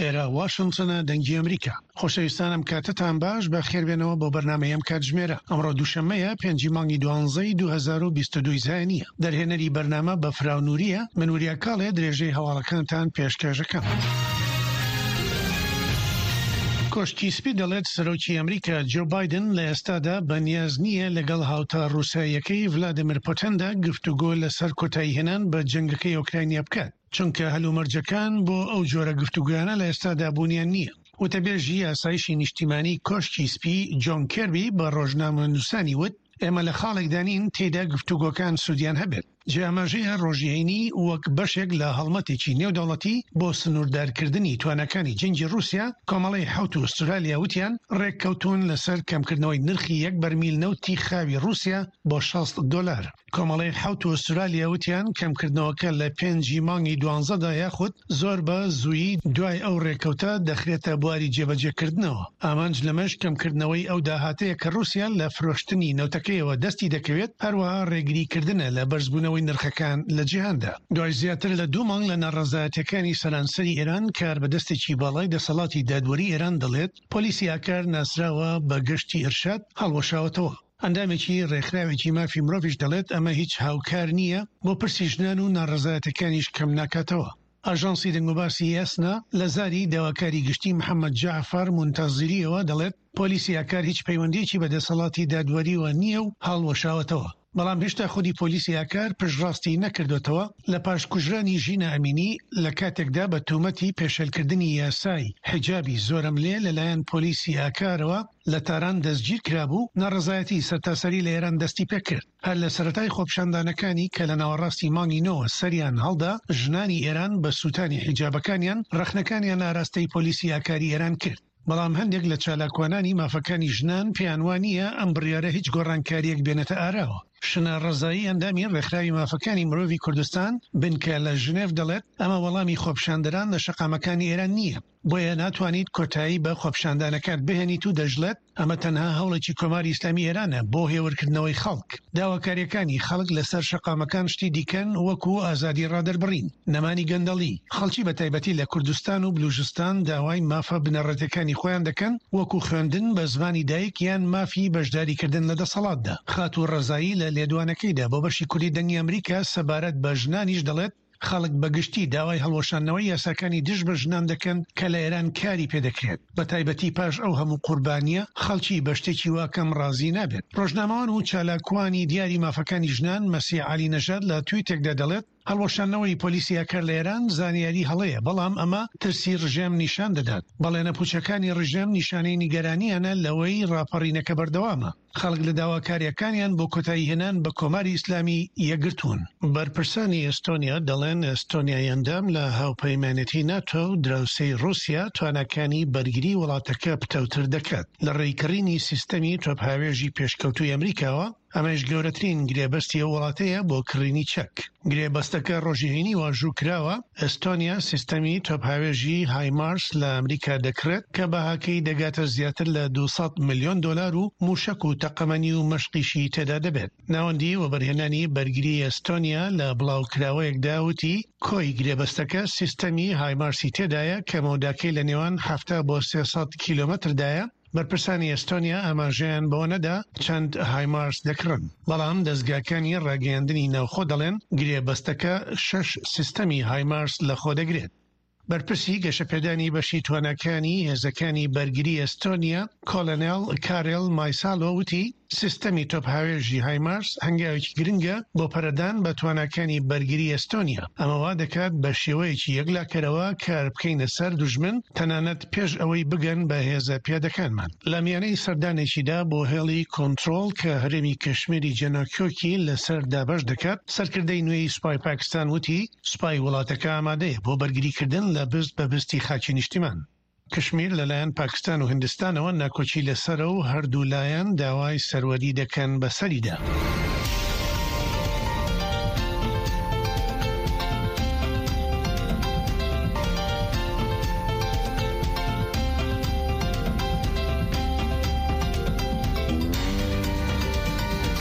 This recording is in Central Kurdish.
ئێرە واشنتنە دەنگی ئەمریکا. خۆشەویستان ئەم کاتەتان باش بە خێربێنەوە بۆ بەرنامەی ئەم کاتژمێرە. ئەمڕۆ دووشەممەیە پێنجی مانگی دوانزەی 2022 زایەنییە. دەرهێنەری بەرنامە بەفراو نورییە، من وریا کاڵێ درێژەی هەواڵەکانتان پێشکێشەکەم. کۆشکی سپی دەڵێت سەرۆکی ئەمریکا جۆ بایدن لە ئێستادا بەنیاز نییە لەگەڵ هاوتا ڕووساییەکەی ڤلادیمیر پوتندا گفتوگۆ لەسەر کۆتاییهێنان بە جەنگەکەی ئۆکرانیا بکات. چونکە هەلومەرجەکان بۆ ئەو جۆرە گفتوگۆیانە لە ئێستادا بوونیان نییە. وتەبێژی ئاسایشی نیشتیمانی کۆشکی سپی جۆن کێربی بە ڕۆژنامەنووسانی وت، ئێمە لە خاڵێکدا نین تێیدا گفتوگۆکان سوودیان هەبێت. جێ ئاماژەیە ڕۆژی هەینی وەک بەشێک لە هەڵمەتێکی نێودەوڵەتی بۆ سنووردارکردنی تواناکانی جەنگی ڕووسیا، کۆمەڵەی حەوت و ئوسترالیا وتیان ڕێککەوتوون لەسەر کەمکردنەوەی نرخی یەک بەرمیل نەوتی خاوی ڕووسیا بۆ 60 دۆلار. کۆمەڵەی حەوت و ئوسترالیا وتیان کەمکردنەوەکە لە پێنجی مانگی دوانزەدا یاخود زۆر بە زوویی دوای ئەو رێکەوتە دەخرێتە بواری جێبەجێکردنەوە. ئامانج لەمەش کەمکردنەوەی ئەو داهاتەیە کە رووسیا لە فرۆشتنی نەوتەکەیەوە دەستی دەکەوێت، هەروەها رێگریکردنە لە بەرزبوونەوەی نرخەکان لە جیهاندا. دوای زیاتر لە دوو مانگ لە ناڕەزایەتیەکانی سەرانسەری ئێران، کاربەدەستێکی باڵای دەسەڵاتی دادوەری ئێران دەڵێت، پۆلیسی ئاکار ناسراوە بە گەشتی ئیرشاد هەڵوەشاوەتەوە. ئەندامێکی ڕێکخراوێکی مافی مرۆڤیش دەڵێت ئەمە هیچ هاوکار نییە بۆ پرسی ژنان و ناڕەزایەتەکانیش کەم ناکاتەوە. ئاژانسی دەنگوباسی ئێسنا لە زاری داواکاری گشتی محەمەد جەعفەر مونتەزیرییەوە دەڵێت پۆلیسی ئاکار هیچ پەیوەندییەکی بە دەسەڵاتی دادوەرییەوە نییە و هەڵوەشاوەتەوە. بەڵام هێشتا خودی پۆلیسی ئاکار پشتڕاستی نەکردۆتەوە لە پاش کوژرانی ژینا ئەمینی لە کاتێکدا بە تۆمەتی پێشێلکردنی یاسای حیجابی زۆرەملێ لەلایەن پۆلیسی ئاکارەوە لە تاران دەستگیرکرابوو، ناڕەزایەتی سەرتاسەری لە ئێران دەستیپێکرد. هەر لە سەرەتای خۆپیشاندانەکانی کە لە ناوەڕاستی مانگی نۆوە سەریان هەڵدا، ژنانی ئێران بە سووتانی حیجابەکانیان ڕەخنەکانیان ئاراستەی پۆلیسی ئاکاری ئێران کرد. بەڵام هەندێک لە چالاکوانانی مافەکانی ژنان پێیان وا نییە ئەم بڕیارە هیچ گۆڕانکارییەک بێنێتە ئاراوە. شنە ڕەزایی ئەندامی ڕێکخراوی مافەکانی مرۆڤی کوردستان بنکە لە ژنێڤ دەڵێت، ئەمە وەڵامی خۆپیشاندەران لە شەقامەکانی ئێران نییە. بۆیە ناتوانیت کۆتایی بە خۆپیشاندانەکات بهێنیت و دەشڵێت، ئەمە تەنها هەوڵێکی کۆماری ئیسلامی ئێرانە بۆ هێورکردنەوەی خەڵک. داواکارییەکانی خەڵک لەسەر شەقامەکان شتی دیکەن وەکو ئازادی ڕادەربڕین، نەمانی گەندەڵی. خەڵکی بە تایبەتی لە کوردستان و بلوژستان داوای مافە بنەڕەتیەکانی خۆیان دەکەن وەکو خوێندن بە زمانی دایک یان مافی بەشداریکردن لە دەسەڵاتدا. خاتوو ڕەزایی لە لێدوانەکەیدا بۆ بەشی کوردی دەنگی ئەمریکا سەبارەت بە ژنانیش دەڵێت، خەڵک بە گشتی داوای هەڵوەشاندنەوەی یاساکانی دژ بە ژنان دەکەن کە لە ئێران کاری پێدەکرێت، بە تایبەتی پاش ئەو هەموو قوربانییە، خەڵکی بە شتێکی وا کەم ڕازی نابێت. ڕۆژنامەوان و چالاکوانی دیاری مافەکانی ژنان، مەسیح عەلی نەژاد لە تویتێکدا دەڵێت، هەڵوەشاندنەوەی پۆلیسی ئاکار لە ئێران زانیاری هەڵەیە، بەڵام ئەمە ترسی ڕژێم نیشان دەدات. بەڵێنە پوچەکانی ڕژێم نیشانەی نیگەرانییانە لەوەی ڕاپەڕینەکە بەردەوامە. خەڵک لە داواکارییەکانیان بۆ کۆتاییهێنان بە کۆماری ئیسلامی یەکگرتوون. بەرپرسانی ئێستۆنیا دەڵێن ئێستۆنیای ئەندام لە هاوپەیمانێتی ناتۆ و دراوسێی ڕووسیا تواناکانی بەرگری وڵاتەکە پتەوتر دەکات لە ڕێی کڕینی سیستەمی تۆپهاوێژی پێشکەوتووی ئەمریکاوە، ئەمەیش گەورەترین گرێبەستی ئەو وڵاتەیە بۆ کڕینی چەک. گرێبەستەکە ڕۆژی هەینی واژوو کراوە، ئێستۆنیا سیستەمی تۆپهاوێژی هایمارس لە ئەمریکا دەکڕێت کە بەهاکەی دەگاتە زیاتر لە 200 ملیۆن دۆلار و مووشەک و تەقەمەنی و مەشقیشی تێدا دەبێت. ناوەندی وەبەرهێنانی بەرگری ئێستۆنیا لە بڵاوکراوەیەکدا وتی، کۆی گرێبەستەکە سیستەمی هایمارسی تێدایە کە مەوداکەی لە نێوان 70 بۆ 300 کیلۆمەتردایە، بەرپرسانی ئێستۆنیا ئاماژەیان بەوە نەدا چەند هایمارس دەکڕن، بەڵام دەزگاکانی ڕاگەیاندنی ناوخۆ دەڵێن گرێبەستەکە شەش سیستەمی هایمارس لەخۆدەگرێت. بەرپرسی گەشەپێدانی بەشی تواناکانی هێزەکانی بەرگری ئێستۆنیا، کۆلۆنێڵ کارێل مایسالۆ وتی، سیستەمی تۆپهاوێژی هایمارس هەنگاوێکی گرنگە بۆ پەرەدان بە تواناکانی بەرگری ئێستۆنیا، ئەمە وا دەکات بە شێوەیەکی یەکلاکەرەوە کار بکەینە سەر دوژمن تەنانەت پێش ئەوەی بگەن بە هێزە پیادەکانمان. لە میانەی سەردانێکیدا بۆ هێڵی کۆنترۆڵ کە هەرێمی کشمیری جێناکۆکی لەسەر دابەش دەکات، سەرکردەی نوێی سوپای پاکستان وتی، سوپای وڵاتەکە ئامادەیە بۆ بەرگریکردن لە بست بە بستی خاکی نیشتیمان. کشمیر لەلایەن پاکستان و هیندستانەوە ناکۆکی لەسەرە و هەردوو لایەن داوای سەروەری دەکەن بەسەریدا.